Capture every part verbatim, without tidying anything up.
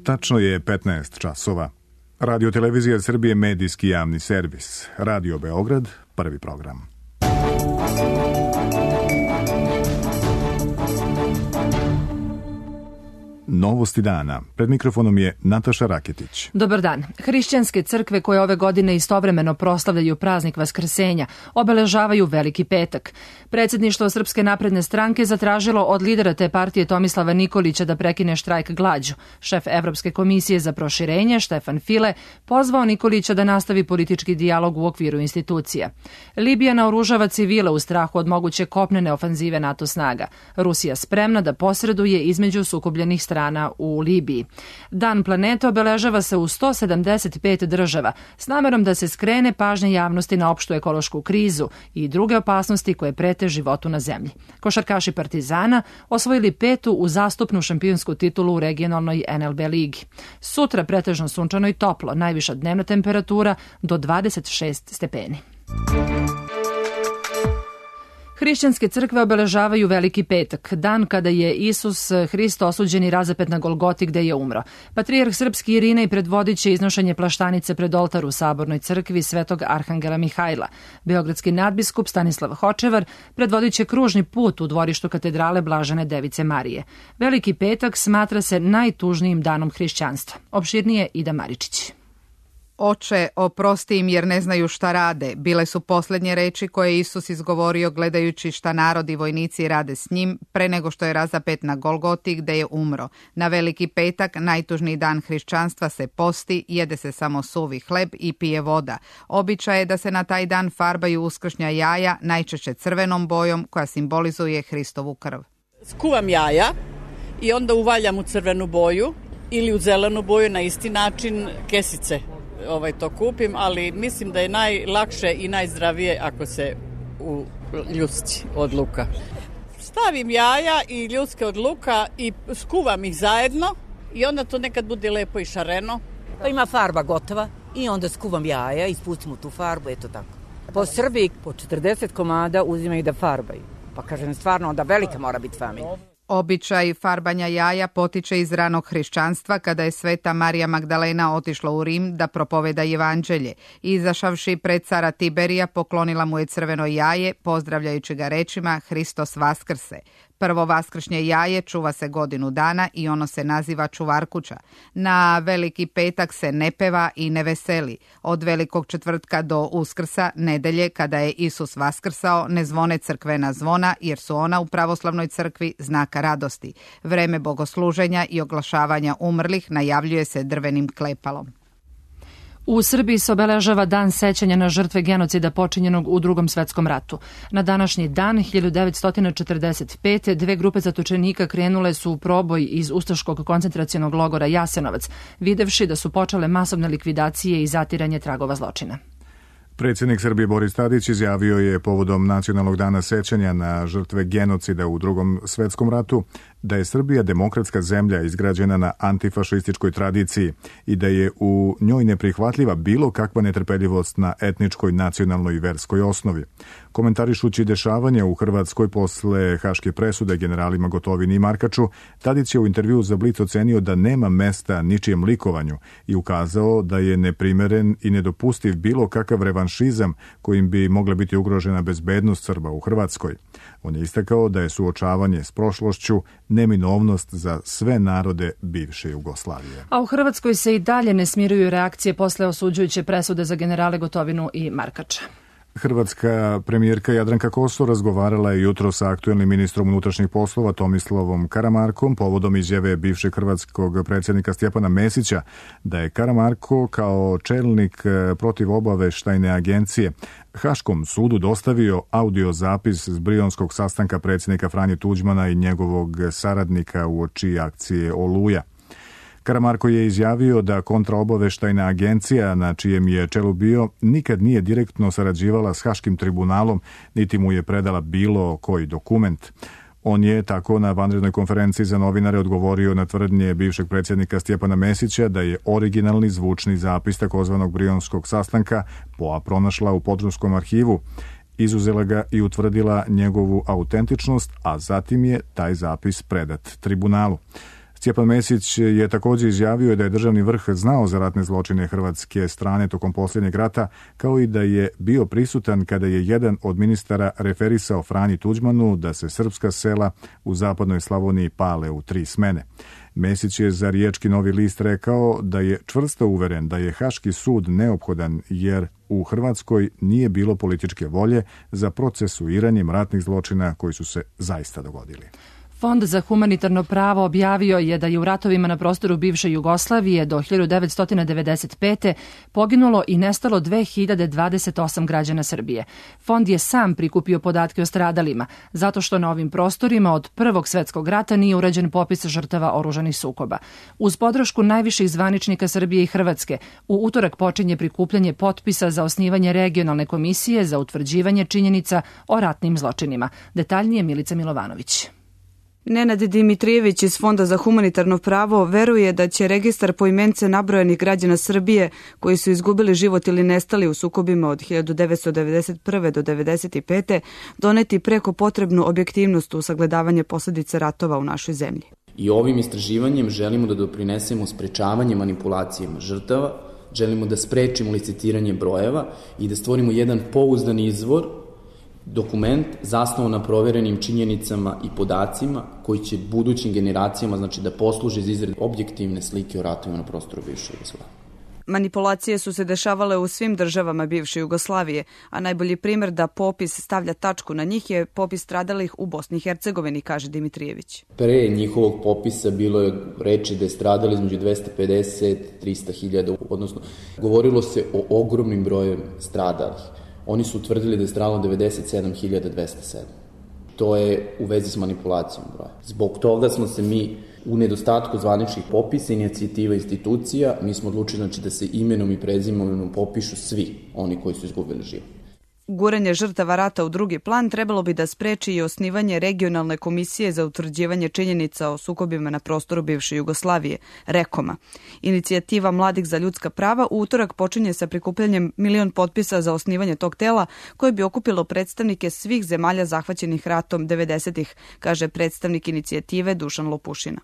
Tačno je petnaest časova. Radio Televizija Srbije, medijski javni servis. Radio Beograd, prvi program. Novosti dana. Pred mikrofonom je Nataša Raketić. Dobar dan. Hrišćanske crkve koje ove godine istovremeno proslavljaju praznik Vaskrsenja obeležavaju Veliki petak. Predsjedništvo Srpske napredne stranke zatražilo od lidera te partije Tomislava Nikolića da prekine štrajk glađu. Šef Evropske komisije za proširenje, Štefan File, pozvao Nikolića da nastavi politički dijalog u okviru institucija. Libija naoružava civile u strahu od moguće kopnene ofanzive NATO snaga. Rusija spremna da posreduje između sukobljenih strana u Libiji. Dan planeta obeležava se u sto sedamdeset pet država s namerom da se skrene pažnja javnosti na opštu ekološku krizu i druge opasnosti koje prete životu na zemlji. Košarkaši Partizana osvojili petu uzastopnu šampionsku titulu u regionalnoj en el be ligi. Sutra pretežno sunčano i toplo, najviša dnevna temperatura do dvadeset šest stepeni. Hrišćanske crkve obeležavaju Veliki petak, dan kada je Isus Hrist osuđen i razapet na Golgoti gde je umro. Patrijarh srpski Irinej predvodit će iznošenje plaštanice pred oltar u Sabornoj crkvi Svetog Arhangela Mihajla. Beogradski nadbiskup Stanislav Hočevar predvodit će kružni put u dvorištu katedrale Blažene Device Marije. Veliki petak smatra se najtužnijim danom hrišćanstva. Opširnije Ida Maričić. Oče, oprosti im jer ne znaju šta rade, bile su posljednje reči koje je Isus izgovorio gledajući šta narod i vojnici rade s njim pre nego što je razapet na Golgoti gde je umro. Na Veliki petak, najtužniji dan hrišćanstva, se posti, jede se samo suvi hleb i pije voda. Običaj je da se na taj dan farbaju uskršnja jaja, najčešće crvenom bojom koja simbolizuje Hristovu krv. Skuvam jaja i onda uvaljam u crvenu boju ili u zelenu boju, na isti način kesice. Ovaj, to kupim, ali mislim da je najlakše i najzdravije ako se u ljusci od luka. Stavim jaja i ljuske od luka i skuvam ih zajedno i onda to nekad bude lepo i šareno. Pa ima farba gotova i onda skuvam jaja i spustimo tu farbu, eto tako. Po Srbiji po četrdeset komada uzimaju da farbaju. Pa kažem, stvarno onda velika mora biti familija. Običaj farbanja jaja potiče iz ranog hrišćanstva kada je sveta Marija Magdalena otišla u Rim da propoveda evanđelje. Izašavši pred cara Tiberija poklonila mu je crveno jaje, pozdravljajući ga rečima Hristos vaskrse. Prvo vaskršnje jaje čuva se godinu dana i ono se naziva čuvarkuća. Na Veliki petak se ne peva i ne veseli. Od Velikog četvrtka do Uskrsa, nedelje kada je Isus vaskrsao, ne zvone crkvena zvona jer su ona u pravoslavnoj crkvi znaka radosti. Vreme bogosluženja i oglašavanja umrlih najavljuje se drvenim klepalom. U Srbiji se obeležava dan sećanja na žrtve genocida počinjenog u Drugom svetskom ratu. Na današnji dan, hiljadu devetsto četrdeset pete. dve grupe zatočenika krenule su u proboj iz ustaškog koncentracionog logora Jasenovac, videvši da su počele masovne likvidacije i zatiranje tragova zločina. Predsjednik Srbije Boris Tadić izjavio je povodom Nacionalnog dana sećanja na žrtve genocida u Drugom svetskom ratu da je Srbija demokratska zemlja izgrađena na antifašističkoj tradiciji i da je u njoj neprihvatljiva bilo kakva netrpeljivost na etničkoj, nacionalnoj i verskoj osnovi. Komentarišući dešavanja u Hrvatskoj posle haške presude generalima Gotovini i Markaču, Tadić je u intervjuu za Blic ocenio da nema mesta ničijem likovanju i ukazao da je neprimeren i nedopustiv bilo kakav revanšizam kojim bi mogla biti ugrožena bezbednost Srba u Hrvatskoj. On je istakao da je suočavanje s prošlošću neminovnost za sve narode bivše Jugoslavije. A u Hrvatskoj se i dalje ne smiruju reakcije posle osuđujuće presude za generale Gotovinu i Markača. Hrvatska premijerka Jadranka Kosor razgovarala je jutro sa aktuelnim ministrom unutrašnjih poslova Tomislavom Karamarkom povodom izjave bivšeg hrvatskog predsjednika Stjepana Mesića da je Karamarko kao čelnik protivobaveštajne agencije Haškom sudu dostavio audio zapis s brionskog sastanka predsjednika Franje Tuđmana i njegovog saradnika uoči akcije Oluja. Karamarko je izjavio da kontraobaveštajna agencija na čijem je čelu bio nikad nije direktno sarađivala s Haškim tribunalom, niti mu je predala bilo koji dokument. On je tako na vanrednoj konferenciji za novinare odgovorio na tvrdnje bivšeg predsjednika Stjepana Mesića da je originalni zvučni zapis takozvanog brionskog sastanka P O A pronašla u Podrumskom arhivu, izuzela ga i utvrdila njegovu autentičnost, a zatim je taj zapis predat tribunalu. Stjepan Mesić je također izjavio da je državni vrh znao za ratne zločine hrvatske strane tokom posljednjeg rata, kao i da je bio prisutan kada je jedan od ministara referisao Franji Tuđmanu da se srpska sela u zapadnoj Slavoniji pale u tri smene. Mesić je za Riječki Novi list rekao da je čvrsto uveren da je Haški sud neophodan jer u Hrvatskoj nije bilo političke volje za procesuiranjem ratnih zločina koji su se zaista dogodili. Fond za humanitarno pravo objavio je da je u ratovima na prostoru bivše Jugoslavije do hiljadu devetsto devedeset pete. poginulo i nestalo dve hiljade dvadeset osam građana Srbije. Fond je sam prikupio podatke o stradalima, zato što na ovim prostorima od Prvog svetskog rata nije urađen popis žrtava oružanih sukoba. Uz podršku najviših zvaničnika Srbije i Hrvatske, u utorak počinje prikupljanje potpisa za osnivanje regionalne komisije za utvrđivanje činjenica o ratnim zločinima. Detaljnije Milica Milovanović. Nenad Dimitrijević iz Fonda za humanitarno pravo veruje da će registar poimence nabrojanih građana Srbije koji su izgubili život ili nestali u sukobima od hiljadu devetsto devedeset prve do devedeset pete. doneti preko potrebnu objektivnost u sagledavanje posljedica ratova u našoj zemlji. I ovim istraživanjem želimo da doprinesemo sprečavanje manipulacijama žrtava, želimo da sprečimo licitiranje brojeva i da stvorimo jedan pouzdan izvor, dokument zasnovan na proverenim činjenicama i podacima koji će budućim generacijama znači da posluže za izradu objektivne slike o ratovima na prostoru bivše Jugoslavije. Manipulacije su se dešavale u svim državama bivše Jugoslavije, a najbolji primjer da popis stavlja tačku na njih je popis stradalih u Bosni i Hercegovini, kaže Dimitrijević. Pre njihovog popisa bilo je reči da je stradalo između dvesta pedeset do trista hiljada, odnosno govorilo se o ogromnim brojem stradalih. Oni su utvrdili da je stradalo devedeset sedam hiljada dvesta sedam. To je u vezi s manipulacijom broja. Zbog toga smo se mi u nedostatku zvaničnih popisa, inicijativa institucija, mi smo odlučili znači, da se imenom i prezimenom popišu svi oni koji su izgubili život. Guranje žrtava rata u drugi plan trebalo bi da spreči i osnivanje regionalne komisije za utvrđivanje činjenica o sukobima na prostoru bivše Jugoslavije, REKOM-a. Inicijativa Mladih za ljudska prava u utorak počinje sa prikupljanjem milion potpisa za osnivanje tog tela koje bi okupilo predstavnike svih zemalja zahvaćenih ratom devedesetih, kaže predstavnik inicijative Dušan Lopušina.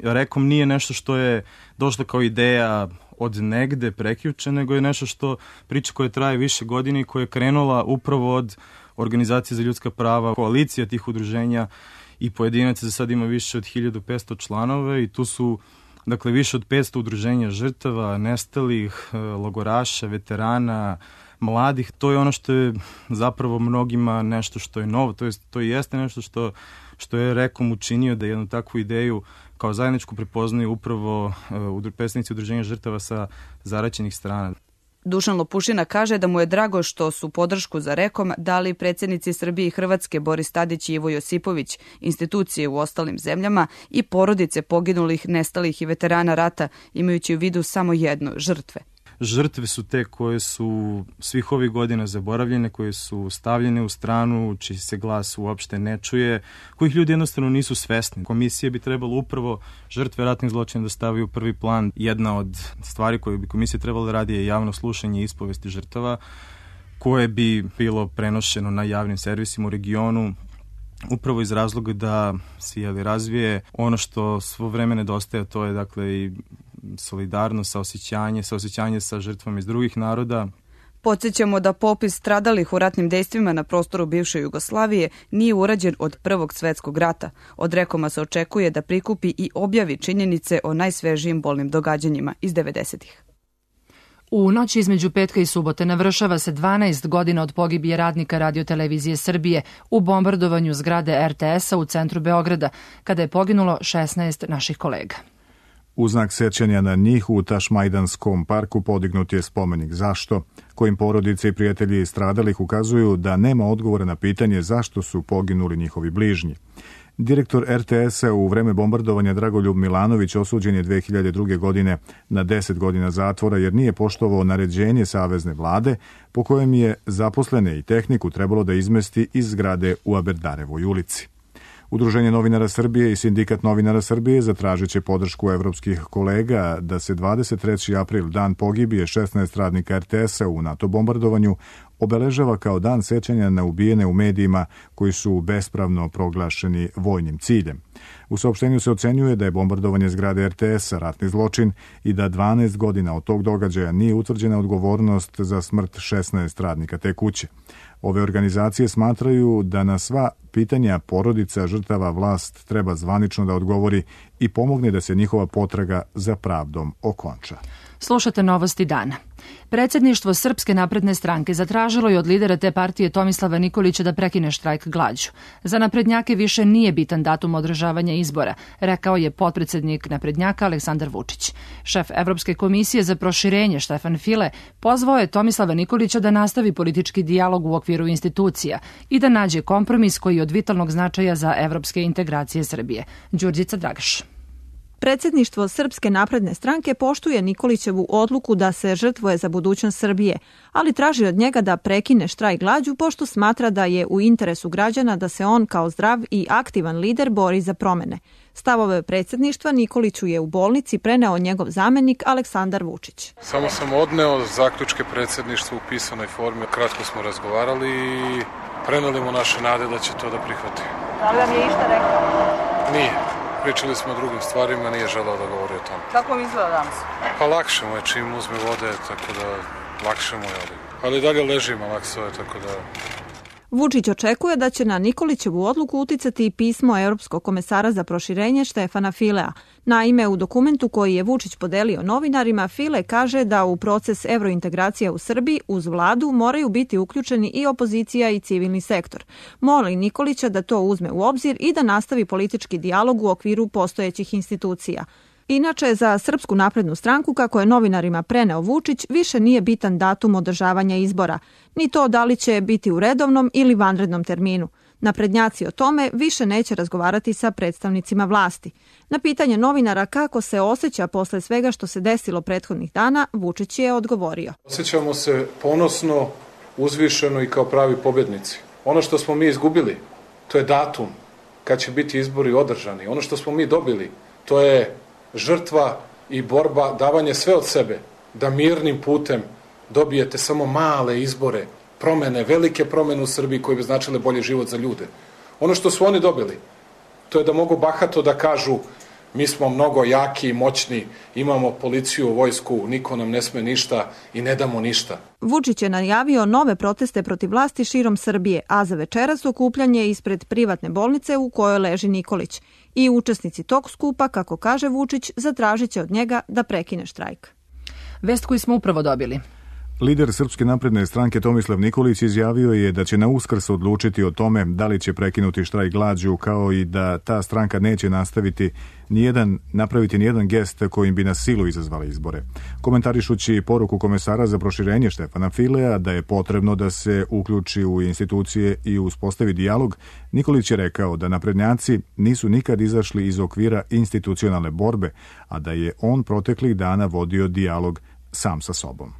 REKOM nije nešto što je došlo kao ideja od negde prekjuče, nego je nešto što priča koja traje više godine i koja je krenula upravo od Organizacije za ljudska prava, koalicija tih udruženja i pojedinaca. Za sad ima više od hiljadu petsto članova i tu su dakle više od petsto udruženja žrtava, nestalih, logoraša, veterana, mladih. To je ono što je zapravo mnogima nešto što je novo, to jest to i jeste nešto što što je REKOM učinio da jednu takvu ideju kao zajedničku prepoznaju upravo uh, predstavnici udruženja žrtava sa zaraćenih strana. Dušan Lopušina kaže da mu je drago što su podršku za REKOM dali predsjednici Srbije i Hrvatske Boris Tadić i Ivo Josipović, institucije u ostalim zemljama i porodice poginulih, nestalih i veterana rata, imajući u vidu samo jedno, žrtve. Žrtve su te koje su svih ovih godina zaboravljene, koje su stavljene u stranu, čiji se glas uopšte ne čuje, kojih ljudi jednostavno nisu svesni. Komisija bi trebalo upravo žrtve ratnih zločina da stavi u prvi plan. Jedna od stvari koje bi komisija trebala da radi je javno slušanje ispovesti žrtava, koje bi bilo prenošeno na javnim servisima u regionu, upravo iz razloga da se jeli, razvije ono što svo vreme nedostaje, to je dakle i solidarnost, saosećanje, saosećanje sa žrtvama iz drugih naroda. Podsjećamo da popis stradalih u ratnim dejstvima na prostoru bivše Jugoslavije nije urađen od Prvog svetskog rata. Od REKOM-a se očekuje da prikupi i objavi činjenice o najsvežijim bolnim događanjima iz devedesetih. U noći između petka i subote navršava se dvanaest godina od pogibije radnika Radiotelevizije Srbije u bombardovanju zgrade er te es-a u centru Beograda, kada je poginulo šesnaest naših kolega. U znak sećanja na njih u Tašmajdanskom parku podignut je spomenik zašto, kojim porodice i prijatelji stradalih ukazuju da nema odgovora na pitanje zašto su poginuli njihovi bližnji. Direktor er te es-a u vreme bombardovanja Dragoljub Milanović osuđen je dve hiljade druge. godine na deset godina zatvora jer nije poštovao naređenje savezne vlade po kojem je zaposlene i tehniku trebalo da izmesti iz zgrade u Aberdarevoj ulici. Udruženje novinara Srbije i Sindikat novinara Srbije zatražit će podršku evropskih kolega da se dvadeset treći april, dan pogibije šesnaest radnika er te es-a u NATO bombardovanju, obeležava kao dan sećanja na ubijene u medijima koji su bespravno proglašeni vojnim ciljem. U saopštenju se ocenjuje da je bombardovanje zgrade er te es ratni zločin i da dvanaest godina od tog događaja nije utvrđena odgovornost za smrt šesnaest radnika te kuće. Ove organizacije smatraju da na sva pitanja porodica žrtava vlast treba zvanično da odgovori i pomogne da se njihova potraga za pravdom okonča. Slušate novosti dana. Predsjedništvo Srpske napredne stranke zatražilo je od lidera te partije Tomislava Nikolića da prekine štrajk glađu. Za naprednjake više nije bitan datum održavanja izbora, rekao je potpredsjednik naprednjaka Aleksandar Vučić. Šef Evropske komisije za proširenje Štefan File pozvao je Tomislava Nikolića da nastavi politički dijalog u okviru institucija i da nađe kompromis koji je od vitalnog značaja za evropske integracije Srbije. Đurđica Dragaš. Predsjedništvo Srpske napredne stranke poštuje Nikolićevu odluku da se žrtvuje za budućnost Srbije, ali traži od njega da prekine štrajk glađu pošto smatra da je u interesu građana da se on kao zdrav i aktivan lider bori za promene. Stavove predsjedništva Nikoliću je u bolnici preneo njegov zamenik Aleksandar Vučić. Samo sam odneo zaključke predsjedništva u pisanoj formi. Kratko smo razgovarali i preneli mu naše nade da će to da prihvati. Da li vam je išta rekao? Nije. Pričali smo o drugim stvarima, nije želeo da govori o tome. Kako vam izgleda danas? Pa lakše mu je čim uzme vode, tako da lakše mu je. Ali, ali dalje leži malakso je, tako da... Vučić očekuje da će na Nikolićevu odluku uticati i pismo Europskog komesara za proširenje Štefana Filea. Naime, u dokumentu koji je Vučić podelio novinarima, File kaže da u proces evrointegracija u Srbiji uz vladu moraju biti uključeni i opozicija i civilni sektor. Moli Nikolića da to uzme u obzir i da nastavi politički dijalog u okviru postojećih institucija. Inače, za Srpsku naprednu stranku, kako je novinarima preneo Vučić, više nije bitan datum održavanja izbora, ni to da li će biti u redovnom ili vanrednom terminu. Naprednjaci o tome više neće razgovarati sa predstavnicima vlasti. Na pitanje novinara kako se osjeća posle svega što se desilo prethodnih dana, Vučić je odgovorio. Osjećamo se ponosno, uzvišeno i kao pravi pobjednici. Ono što smo mi izgubili, to je datum kad će biti izbori održani. Ono što smo mi dobili, to je žrtva i borba, davanje sve od sebe, da mirnim putem dobijete samo male izbore, promene, velike promene u Srbiji koje bi značile bolji život za ljude. Ono što su oni dobili, to je da mogu bahato da kažu mi smo mnogo jaki i moćni, imamo policiju, vojsku, niko nam ne sme ništa i ne damo ništa. Vučić je najavio nove proteste protiv vlasti širom Srbije, a za večeras okupljanje ispred privatne bolnice u kojoj leži Nikolić. I učesnici tog skupa, kako kaže Vučić, zatražit će od njega da prekine štrajk. Vest koju smo upravo dobili. Lider Srpske napredne stranke Tomislav Nikolić izjavio je da će na Uskrs odlučiti o tome da li će prekinuti štrajk glađu, kao i da ta stranka neće nastaviti nijedan, napraviti nijedan gest kojim bi na silu izazvali izbore. Komentarišući poruku komesara za proširenje Štefana Filea da je potrebno da se uključi u institucije i uspostavi dijalog, Nikolić je rekao da naprednjaci nisu nikad izašli iz okvira institucionalne borbe, a da je on proteklih dana vodio dijalog sam sa sobom.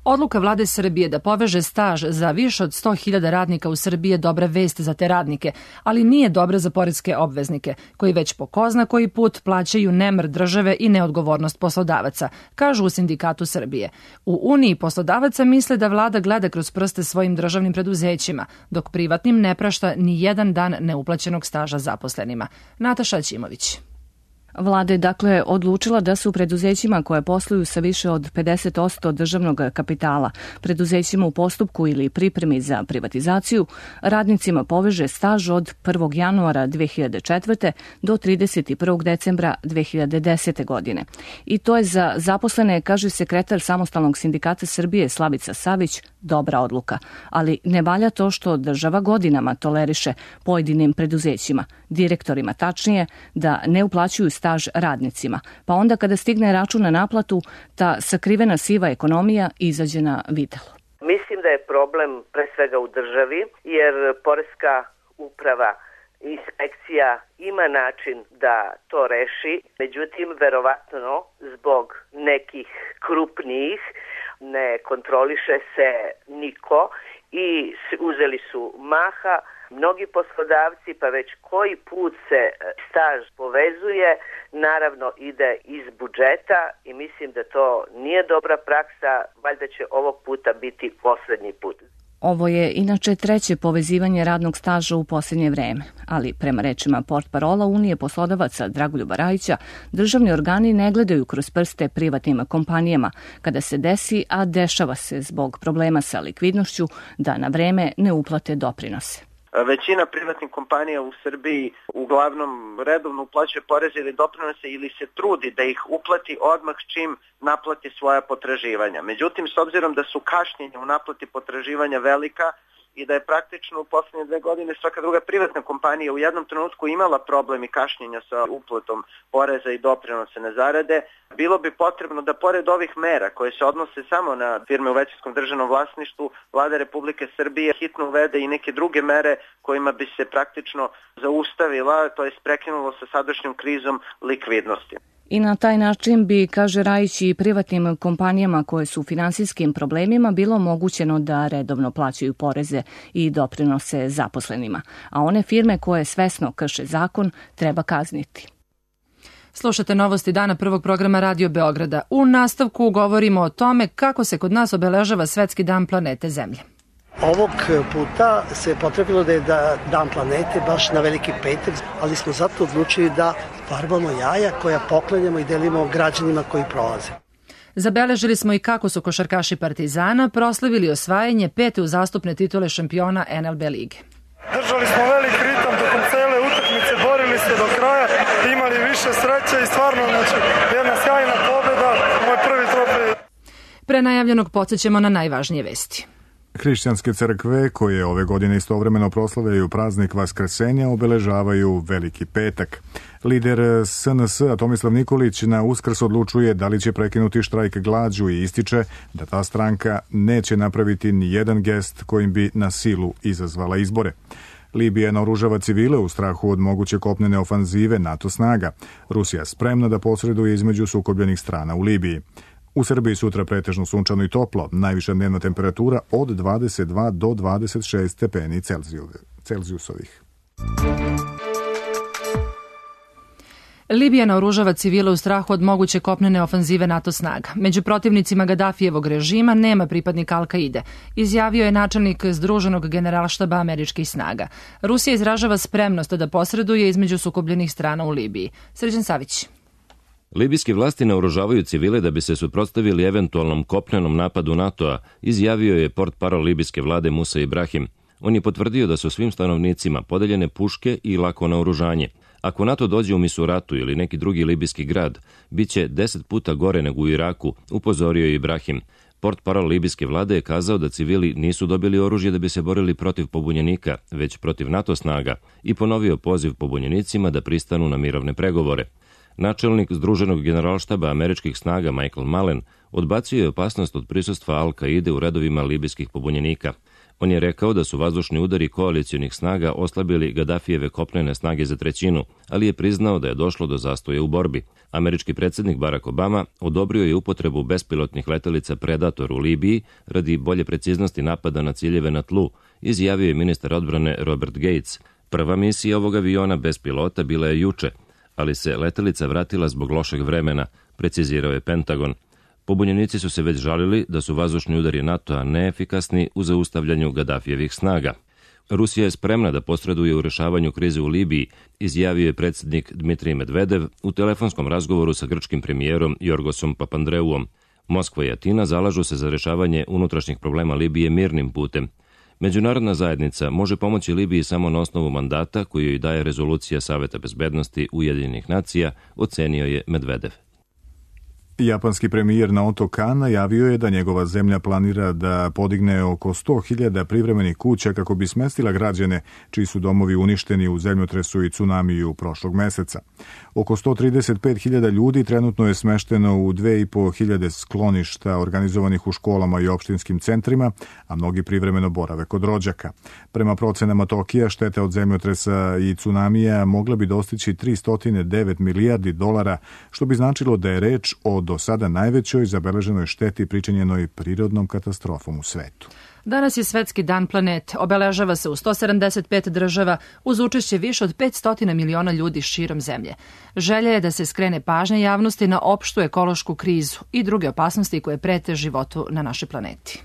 Odluka vlade Srbije da poveže staž za više od sto hiljada radnika u Srbiji je dobra vest za te radnike, ali nije dobra za poreske obveznike, koji već po ko zna koji put plaćaju nemar države i neodgovornost poslodavaca, kažu u Sindikatu Srbije. U Uniji poslodavaca misle da vlada gleda kroz prste svojim državnim preduzećima, dok privatnim ne prašta ni jedan dan neuplaćenog staža zaposlenima. Nataša Ćimović. Vlada je dakle odlučila da su preduzećima koje posluju sa više od pedeset posto državnog kapitala, preduzećima u postupku ili pripremi za privatizaciju, radnicima poveže staž od prvog januara dve hiljade četvrte. do trideset prvog decembra dve hiljade desete. godine. I to je za zaposlene, kaže sekretar Samostalnog sindikata Srbije Slavica Savić, dobra odluka. Ali ne valja to što država godinama toleriše pojedinim preduzećima, direktorima tačnije, da ne uplaćuju staž radnicima, pa onda kada stigne račun na naplatu, ta sakrivena siva ekonomija izađe na videlo. Mislim da je problem pre svega u državi, jer poreska uprava i inspekcija ima način da to reši, međutim, verovatno zbog nekih krupnijih ne kontroliše se niko i uzeli su maha mnogi poslodavci, pa već koji put se staž povezuje, naravno ide iz budžeta i mislim da to nije dobra praksa, valjda će ovog puta biti poslednji put. Ovo je inače treće povezivanje radnog staža u posljednje vreme, ali prema rečima portparola Unije poslodavaca Dragoljuba Rajića, državni organi ne gledaju kroz prste privatnim kompanijama kada se desi, a dešava se zbog problema sa likvidnošću, da na vreme ne uplate doprinose. Većina privatnih kompanija u Srbiji uglavnom redovno uplaćuje poreze ili doprinose ili se trudi da ih uplati odmah čim naplati svoja potraživanja. Međutim, s obzirom da su kašnjenja u naplati potraživanja velika i da je praktično u posljednje dve godine svaka druga privatna kompanija u jednom trenutku imala problem i kašnjenja sa uplatom poreza i doprinose na zarade, bilo bi potrebno da pored ovih mera koje se odnose samo na firme u većinskom državnom vlasništvu, Vlada Republike Srbije hitno uvede i neke druge mere kojima bi se praktično zaustavila, to jest prekinulo sa sadašnjom krizom likvidnosti. I na taj način bi, kaže Rajić, i privatnim kompanijama koje su u finansijskim problemima bilo omogućeno da redovno plaćaju poreze i doprinose zaposlenima, a one firme koje svesno krše zakon treba kazniti. Slušate novosti dana prvog programa Radio Beograda. U nastavku govorimo o tome kako se kod nas obeležava Svetski dan planete Zemlje. Ovog puta se potrebilo da je da dan planete baš na Veliki petak, ali smo zato odlučili da farbamo jaja koja poklanjamo i delimo građanima koji prolaze. Zabeležili smo i kako su košarkaši Partizana proslavili osvajanje pete uzastopne titule šampiona en el be lige. Držali smo velik ritam tokom cele utakmice, borili se do kraja, imali više sreće i stvarno znači, jedna sjajna pobjeda, moj prvi trofej. Pre najavljenog podsjećamo na najvažnije vesti. Hrišćanske crkve, koje ove godine istovremeno proslavljaju praznik Vaskrsenja, obeležavaju Veliki petak. Lider es en es Tomislav Nikolić na Uskrs odlučuje da li će prekinuti štrajk glađu i ističe da ta stranka neće napraviti ni jedan gest kojim bi na silu izazvala izbore. Libija naoružava civile u strahu od moguće kopnene ofanzive NATO snaga. Rusija spremna da posreduje između sukobljenih strana u Libiji. U Srbiji sutra pretežno sunčano i toplo, najviša dnevna temperatura od dvadeset dva do dvadeset šest stepeni Celzijusovih. Libija naoružava civile u strahu od moguće kopnene ofanzive NATO snaga. Među protivnicima Gadafijevog režima nema pripadnika Al-Kaide, izjavio je načelnik Združenog generalštaba američkih snaga. Rusija izražava spremnost da posreduje između sukobljenih strana u Libiji. Srđan Savić. Libijske vlasti naoružavaju civile da bi se suprotstavili eventualnom kopnenom napadu NATO-a, izjavio je portparol libijske vlade Musa Ibrahim. On je potvrdio da su svim stanovnicima podeljene puške i lako naoružanje. Ako NATO dođe u Misuratu ili neki drugi libijski grad, bit će deset puta gore nego u Iraku, upozorio je Ibrahim. Portparol libijske vlade je kazao da civili nisu dobili oružje da bi se borili protiv pobunjenika, već protiv NATO snaga, i ponovio poziv pobunjenicima da pristanu na mirovne pregovore. Načelnik Združenog generalštaba američkih snaga Michael Mullen odbacio je opasnost od prisustva Al-Kaide u redovima libijskih pobunjenika. On je rekao da su vazdušni udari koalicijonih snaga oslabili Gadafijeve kopnene snage za trećinu, ali je priznao da je došlo do zastoja u borbi. Američki predsjednik Barack Obama odobrio je upotrebu bespilotnih letelica Predator u Libiji radi bolje preciznosti napada na ciljeve na tlu, izjavio je ministar odbrane Robert Gates. Prva misija ovog aviona bez pilota bila je juče, ali se letelica vratila zbog lošeg vremena, precizirao je Pentagon. Pobunjenici su se već žalili da su vazdušni udari NATO-a neefikasni u zaustavljanju Gadafijevih snaga. Rusija je spremna da posreduje u rešavanju krize u Libiji, izjavio je predsjednik Dmitrij Medvedev u telefonskom razgovoru sa grčkim premijerom Jorgosom Papandreouom. Moskva i Atina zalažu se za rešavanje unutrašnjih problema Libije mirnim putem. Međunarodna zajednica može pomoći Libiji samo na osnovu mandata koju joj daje rezolucija Saveta bezbednosti Ujedinjenih nacija, ocenio je Medvedev. Japanski premijer Naoto Kan najavio je da njegova zemlja planira da podigne oko sto hiljada privremenih kuća kako bi smestila građane čiji su domovi uništeni u zemljotresu i tsunamiju prošlog meseca. Oko sto trideset pet hiljada ljudi trenutno je smešteno u dve i po hiljade skloništa organizovanih u školama i opštinskim centrima, a mnogi privremeno borave kod rođaka. Prema procenama Tokija, štete od zemljotresa i tsunamija mogla bi dostići tristo devet milijardi dolara, što bi značilo da je reč o do sada najvećoj zabeleženoj šteti pričinjenoj prirodnom katastrofom u svetu. Danas je Svetski dan planete. Obeležava se u sto sedamdeset pet država uz učešće više od petsto miliona ljudi širom zemlje. Želja je da se skrene pažnja javnosti na opštu ekološku krizu i druge opasnosti koje prete životu na našoj planeti.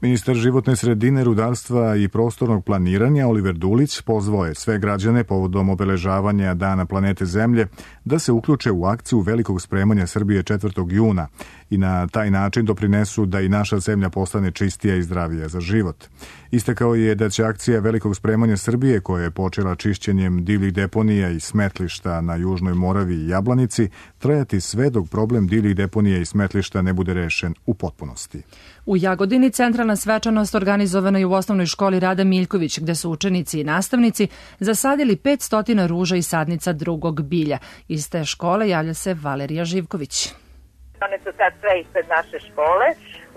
Ministar životne sredine, rudarstva i prostornog planiranja Oliver Dulić pozvao je sve građane povodom obeležavanja Dana planete Zemlje da se uključe u akciju velikog spremanja Srbije četvrtog juna i na taj način doprinesu da i naša zemlja postane čistija i zdravija za život. Istakao je da će akcija velikog spremanja Srbije, koja je počela čišćenjem divljih deponija i smetlišta na Južnoj Moravi i Jablanici, trajati sve dok problem divljih deponija i smetlišta ne bude rešen u potpunosti. U Jagodini centralna svečanost organizovana je u osnovnoj školi Rada Miljković, gde su učenici i nastavnici zasadili petsto ruža i sadnica drugog bilja. Iz te škole javlja se Valerija Živković. One su sad sve ispred naše škole,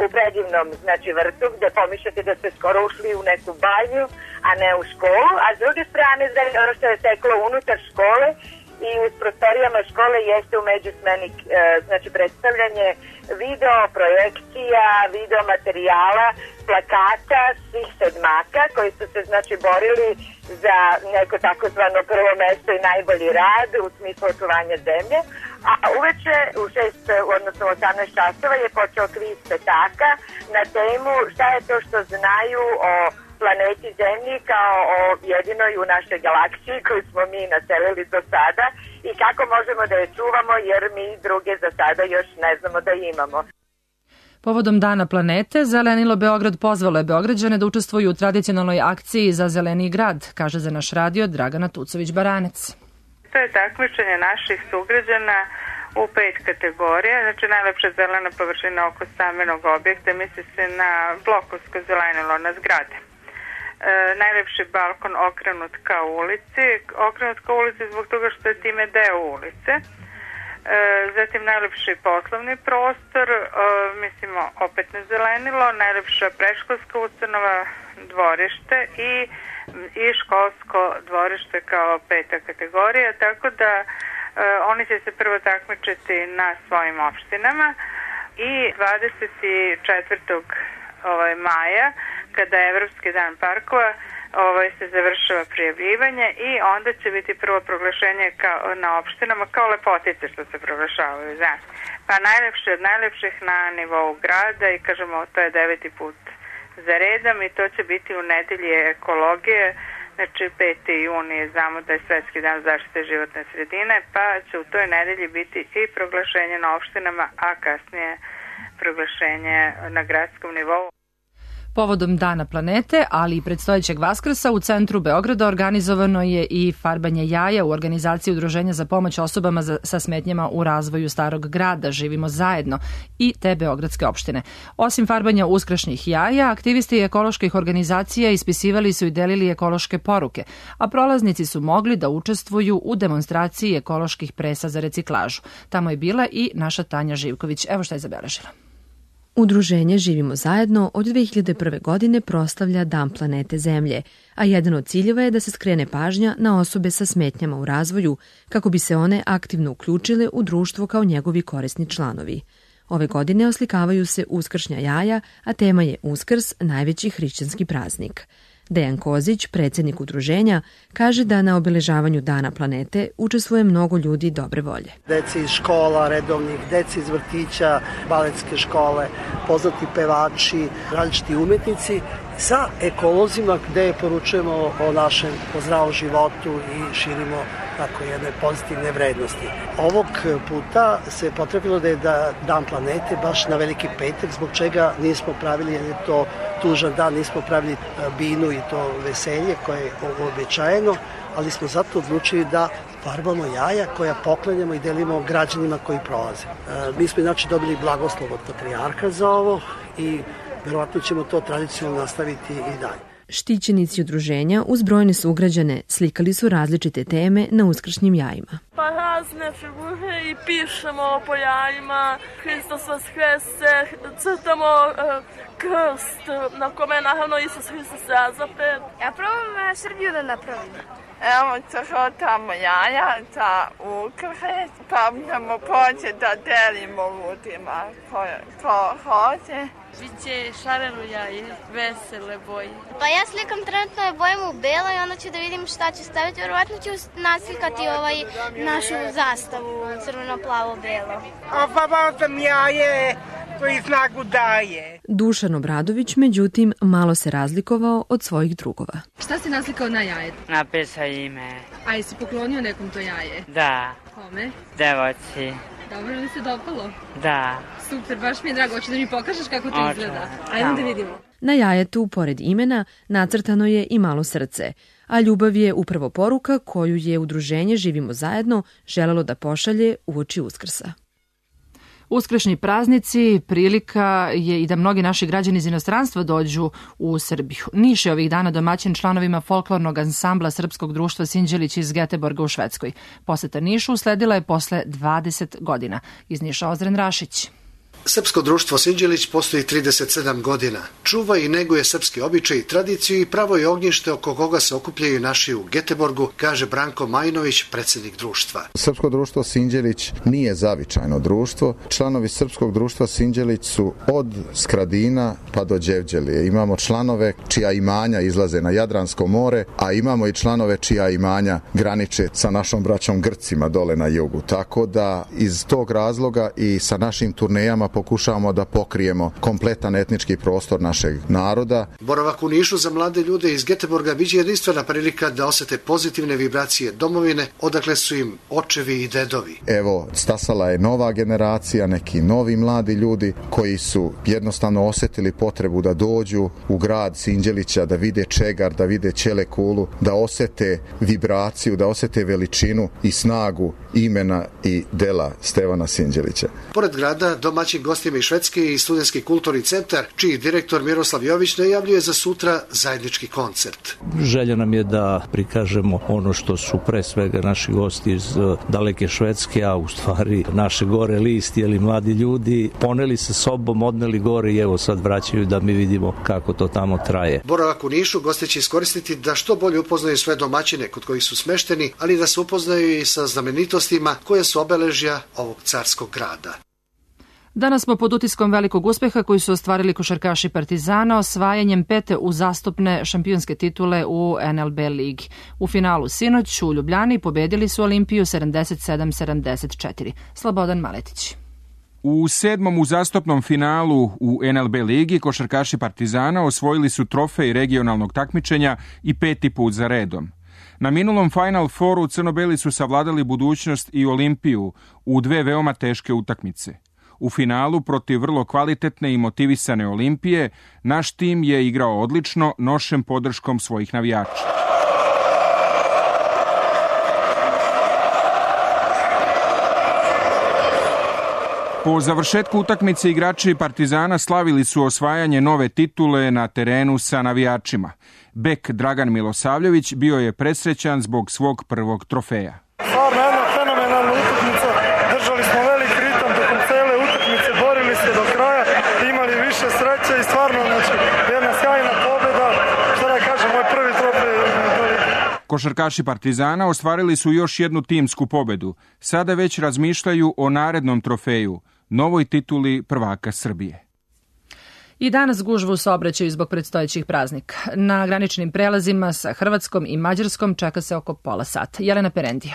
u predivnom znači, vrtu, gde pomišljate da ste skoro ušli u neku banju, a ne u školu, a s druge strane, ono što je teklo unutar škole i u prostorijama škole jeste u međusmeni znači, predstavljanje video, projekcija, video materijala, plakata svih sedmaka koji su se znači borili za neko takozvano prvo mesto i najbolji rad u smislu očuvanja zemlje. A uveče u šest, odnosno osamnaest časova je počeo kviz petaka na temu šta je to što znaju o planeti Zemlji kao o jedinoj u našoj galaksiji koju smo mi naselili do sada i kako možemo da je čuvamo jer mi druge za sada još ne znamo da imamo. Povodom Dana planete, Zelenilo Beograd pozvalo je Beograđane da učestvuju u tradicionalnoj akciji za zeleniji grad, kaže za naš radio Dragana Tucović-Baranec. To je takmičenje naših sugrađana u pet kategorija, znači najlepša zelena površina oko stambenog objekta, misli se na blokovsko zelenilo na zgrade. E, najlepši balkon okrenut ka ulici, okrenut ka ulici zbog toga što je time deo ulice. E, zatim najlepši poslovni prostor, e, mislimo opet na zelenilo, najlepša predškolska ustanova, dvorište i i školsko dvorište kao peta kategorija, tako da e, oni će se prvo takmičiti na svojim opštinama i dvadeset četvrtog Ovaj, maja, kada je Evropski dan parkova, ovaj, se završava prijavljivanje i onda će biti prvo proglašenje kao, na opštinama kao lepotice što se proglašavaju. Znači. Pa najlepše od najlepših na nivou grada i kažemo to je deveti put za redom i to će biti u nedelji ekologije, znači peti juni znamo da je Svetski dan zaštite životne sredine, pa će u toj nedelji biti i proglašenje na opštinama, a kasnije proglašenje na gradskom nivou. Povodom Dana planete, ali i predstojećeg Vaskrsa, u centru Beograda organizovano je i farbanje jaja u organizaciji Udruženja za pomoć osobama za, sa smetnjama u razvoju Starog grada Živimo zajedno i te beogradske opštine. Osim farbanja uskršnjih jaja, aktivisti ekoloških organizacija ispisivali su i delili ekološke poruke, a prolaznici su mogli da učestvuju u demonstraciji ekoloških presa za reciklažu. Tamo je bila i naša Tanja Živković. Evo šta je zabeležila. Udruženje Živimo zajedno od dve hiljade prve. godine proslavlja Dan planete Zemlje, a jedan od ciljeva je da se skrene pažnja na osobe sa smetnjama u razvoju, kako bi se one aktivno uključile u društvo kao njegovi korisni članovi. Ove godine oslikavaju se uskršnja jaja, a tema je Uskrs, najveći hrišćanski praznik. Dejan Kozić, predsjednik udruženja, kaže da na obeležavanju Dana planete učestvuje mnogo ljudi dobre volje. Deci iz škola, redovnih, deci iz vrtića, baletske škole, poznati pevači, različiti umetnici, sa ekolozima gde poručujemo o našem o zdravom životu i širimo tako jedne pozitivne vrednosti. Ovog puta se potrebilo da je da Dan planete baš na Veliki petak, zbog čega nismo pravili, jer je to tužan dan, nismo pravili binu i to veselje koje je uobičajeno, ali smo zato odlučili da farbamo jaja koja poklanjamo i delimo građanima koji prolaze. Mi smo inače dobili blagoslov od patrijarha za ovo i verovatno ćemo to tradicionalno nastaviti i dalje. Štićenici udruženja uz brojne sugrađane slikali su različite teme na uskršnjim jajima. Pa razne figure i pišemo po jajima, Hristos vaskrese, crtamo uh, krst na kome je naravno Isus Hristos razapet. Ja probam Srbiju da napravim. Evo crtamo jaja za ukrhe, pa ćemo poći da delimo ljudima ko, ko hoće. Biće šareno jaje, vesele boje. Pa ja slikam trenutno je bojem u belo i onda ću da vidim šta ću staviti. Vjerovatno ću naslikati ovaj našu zastavu crveno-plavo-belo. Farbam sam jaje koji snagu daje. Dušan Obradović, međutim, malo se razlikovao od svojih drugova. Šta si naslikao na jaje? Napisao ime. A jesi poklonio nekom to jaje? Da. Kome? Devojci. Dobro, li se dopalo? Da. Super, baš mi je drago. Hoćeš da mi pokažeš kako to Oče, izgleda? Ajmo da vidimo. Na jajetu, pored imena, nacrtano je i malo srce, a ljubav je upravo poruka koju je udruženje Živimo zajedno želelo da pošalje uoči Uskrsa. Uskršnji praznici prilika je i da mnogi naši građani iz inostranstva dođu u Srbiju. Niš je ovih dana domaćin članovima folklornog ansambla Srpskog društva Sinđelić iz Geteborga u Švedskoj. Poseta Nišu usledila je posle dvadeset godina. Iz Niša Ozren Rašić. Srpsko društvo Sinđelić postoji trideset sedam godina. Čuva i neguje srpski običaj i tradiciju i pravo je ognjište oko koga se okupljaju naši u Geteborgu, kaže Branko Majinović, predsjednik društva. Srpsko društvo Sinđelić nije zavičajno društvo. Članovi Srpskog društva Sinđelić su od Skradina pa do Đevđelije. Imamo članove čija imanja izlaze na Jadransko more, a imamo i članove čija imanja graniče sa našom braćom Grcima dole na jugu. Tako da iz tog razloga i sa našim turnejama pokušavamo da pokrijemo kompletan etnički prostor našeg naroda. Boravak u Nišu za mlade ljude iz Geteborga biće jedinstvena prilika da osete pozitivne vibracije domovine, odakle su im očevi i dedovi. Evo, stasala je nova generacija, neki novi mladi ljudi koji su jednostavno osjetili potrebu da dođu u grad Sinđelića, da vide Čegar, da vide Ćelekulu, da osete vibraciju, da osete veličinu i snagu imena i dela Stevana Sinđelića. Pored grada, domaćin gostima iz Švedske i Studentski kulturni centar, čiji direktor Miroslav Jović najavljuje za sutra zajednički koncert. Želja nam je da prikažemo ono što su pre svega naši gosti iz daleke Švedske, a u stvari naše gore listi, ali mladi ljudi poneli se sobom, odneli gore i evo sad vraćaju da mi vidimo kako to tamo traje. Boravak u Nišu gosti će iskoristiti da što bolje upoznaju sve domaćine kod kojih su smešteni, ali da se upoznaju i sa znamenitostima koje su obeležja ovog carskog grada. Danas smo pod utiskom velikog uspeha koji su ostvarili košarkaši Partizana osvajanjem pete uzastopne šampionske titule u en el be ligi. U finalu sinoć u Ljubljani pobedili su Olimpiju sedamdeset sedam sedamdeset četiri. Slobodan Maletić. U sedmom uzastopnom finalu u en el be ligi košarkaši Partizana osvojili su trofej regionalnog takmičenja i peti put za redom. Na minulom Final Fouru crno-beli su savladali budućnost i Olimpiju u dve veoma teške utakmice. U finalu protiv vrlo kvalitetne i motivisane Olimpije naš tim je igrao odlično, nošen podrškom svojih navijača. Po završetku utakmice igrači Partizana slavili su osvajanje nove titule na terenu sa navijačima. Bek Dragan Milosavljević bio je presrećan zbog svog prvog trofeja. Stvarno jedna fenomenalna utakmica, držali smo velik ritam tokom cele utakmice, borili se do kraja, imali više sreće i stvarno znači, jedna sjajna pobjeda, što da kažem, moj prvi trofej. Košarkaši Partizana ostvarili su još jednu timsku pobedu. Sada već razmišljaju o narednom trofeju, novoj tituli prvaka Srbije. I danas gužva u saobraćaju zbog predstojećih praznika. Na graničnim prelazima sa Hrvatskom i Mađarskom čeka se oko pola sata. Jelena Perendija.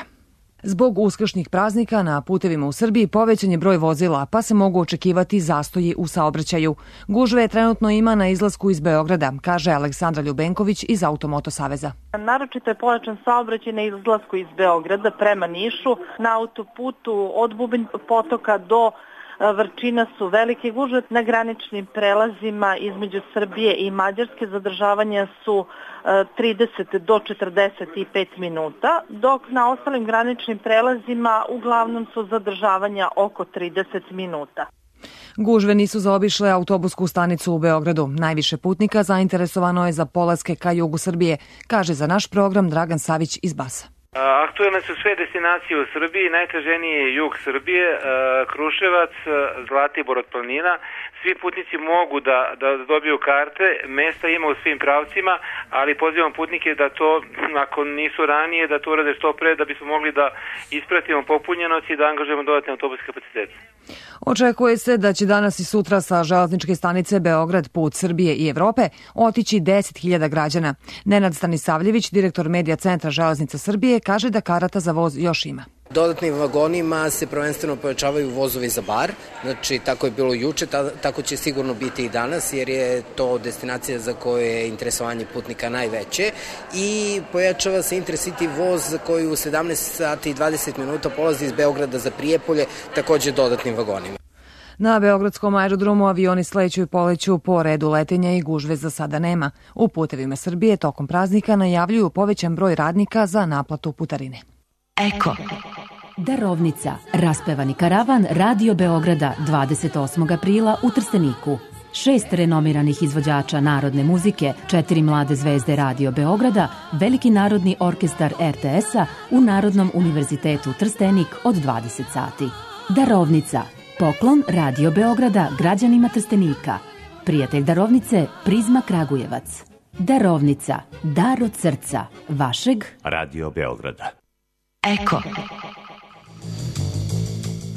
Zbog uskršnjih praznika na putevima u Srbiji povećan je broj vozila, pa se mogu očekivati zastoji u saobraćaju. Gužve trenutno ima na izlasku iz Beograda, kaže Aleksandra Ljubenković iz Automoto Saveza. Naročito je pojačan saobraćaj na izlasku iz Beograda prema Nišu. Na autoputu od Bubanj potoka do Vrčina su velike gužve. Na graničnim prelazima između Srbije i Mađarske zadržavanja su trideset do četrdeset pet minuta, dok na ostalim graničnim prelazima uglavnom su zadržavanja oko trideset minuta. Gužve nisu zaobišle autobusku stanicu u Beogradu. Najviše putnika zainteresovano je za polaske ka jugu Srbije, kaže za naš program Dragan Savić iz Basa. Aktuelne su sve destinacije u Srbiji, najtraženiji je jug Srbije, Kruševac, Zlatibor od planina. Svi putnici mogu da, da dobiju karte, mesta ima u svim pravcima, ali pozivam putnike da to, ako nisu ranije, da to urade što pre, da bismo mogli da ispratimo popunjenost i da angažujemo dodatne autobuske kapacitete. Očekuje se da će danas i sutra sa železničke stanice Beograd, put Srbije i Evrope, otići deset hiljada građana. Nenad Stanisavljević, direktor Medija centra Železnica Srbije, kaže da karata za voz još ima. Dodatnim vagonima se prvenstveno pojačavaju vozovi za bar, znači tako je bilo juče, ta, tako će sigurno biti i danas, jer je to destinacija za koju je interesovanje putnika najveće, i pojačava se Intercity voz koji u sedamnaest sati i dvadeset minuta polazi iz Beograda za Prijepolje, takođe dodatnim vagonima. Na beogradskom aerodromu avioni sleću i poleću po redu letenja i gužve za sada nema. U Putevima Srbije tokom praznika najavljuju povećan broj radnika za naplatu putarine. Eko. Darovnica. Raspevani karavan Radio Beograda dvadeset osmog aprila u Trsteniku. Šest renomiranih izvođača narodne muzike, četiri mlade zvezde Radio Beograda, Veliki narodni orkestar er te es-a u Narodnom univerzitetu Trstenik od dvadeset sati. Darovnica. Poklon Radio Beograda građanima Trstenika. Prijatelj darovnice Prizma Kragujevac. Darovnica. Dar od srca. Vašeg Radio Beograda. Eko.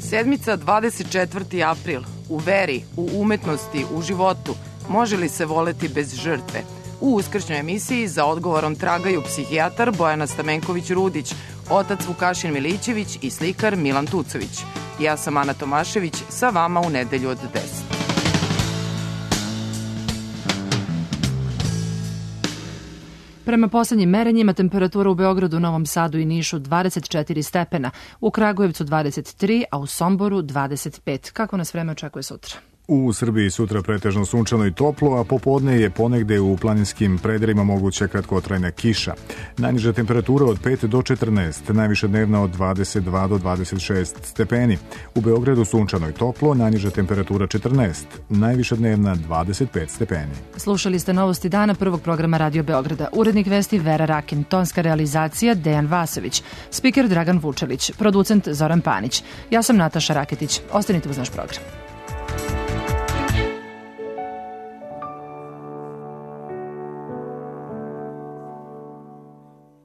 Sedmica dvadeset četvrti april. U veri, u umetnosti, u životu. Može li se voleti bez žrtve? U uskršnjoj emisiji za odgovorom tragaju psihijatar Bojana Stamenković-Rudić, otac Vukašin Milićević i slikar Milan Tucović. Ja sam Ana Tomašević, sa vama u nedelju od deset. Prema poslednjim merenjima temperatura u Beogradu, Novom Sadu i Nišu dvadeset četiri stepena, u Kragujevcu dvadeset tri, a u Somboru dvadeset pet. Kako nas vreme očekuje sutra? U Srbiji sutra pretežno sunčano i toplo, a popodne je ponegde u planinskim predelima moguća kratkotrajna kiša. Najniža temperatura od pet do četrnaest, najviša dnevna od dvadeset dva do dvadeset šest stepeni. U Beogradu sunčano i toplo, najniža temperatura četrnaest, najviša dnevna dvadeset pet stepeni. Slušali ste novosti dana prvog programa Radio Beograda. Urednik vesti Vera Rakin, tonska realizacija Dejan Vasović, spiker Dragan Vučelić, producent Zoran Panić. Ja sam Nataša Raketić. Ostanite uz naš program.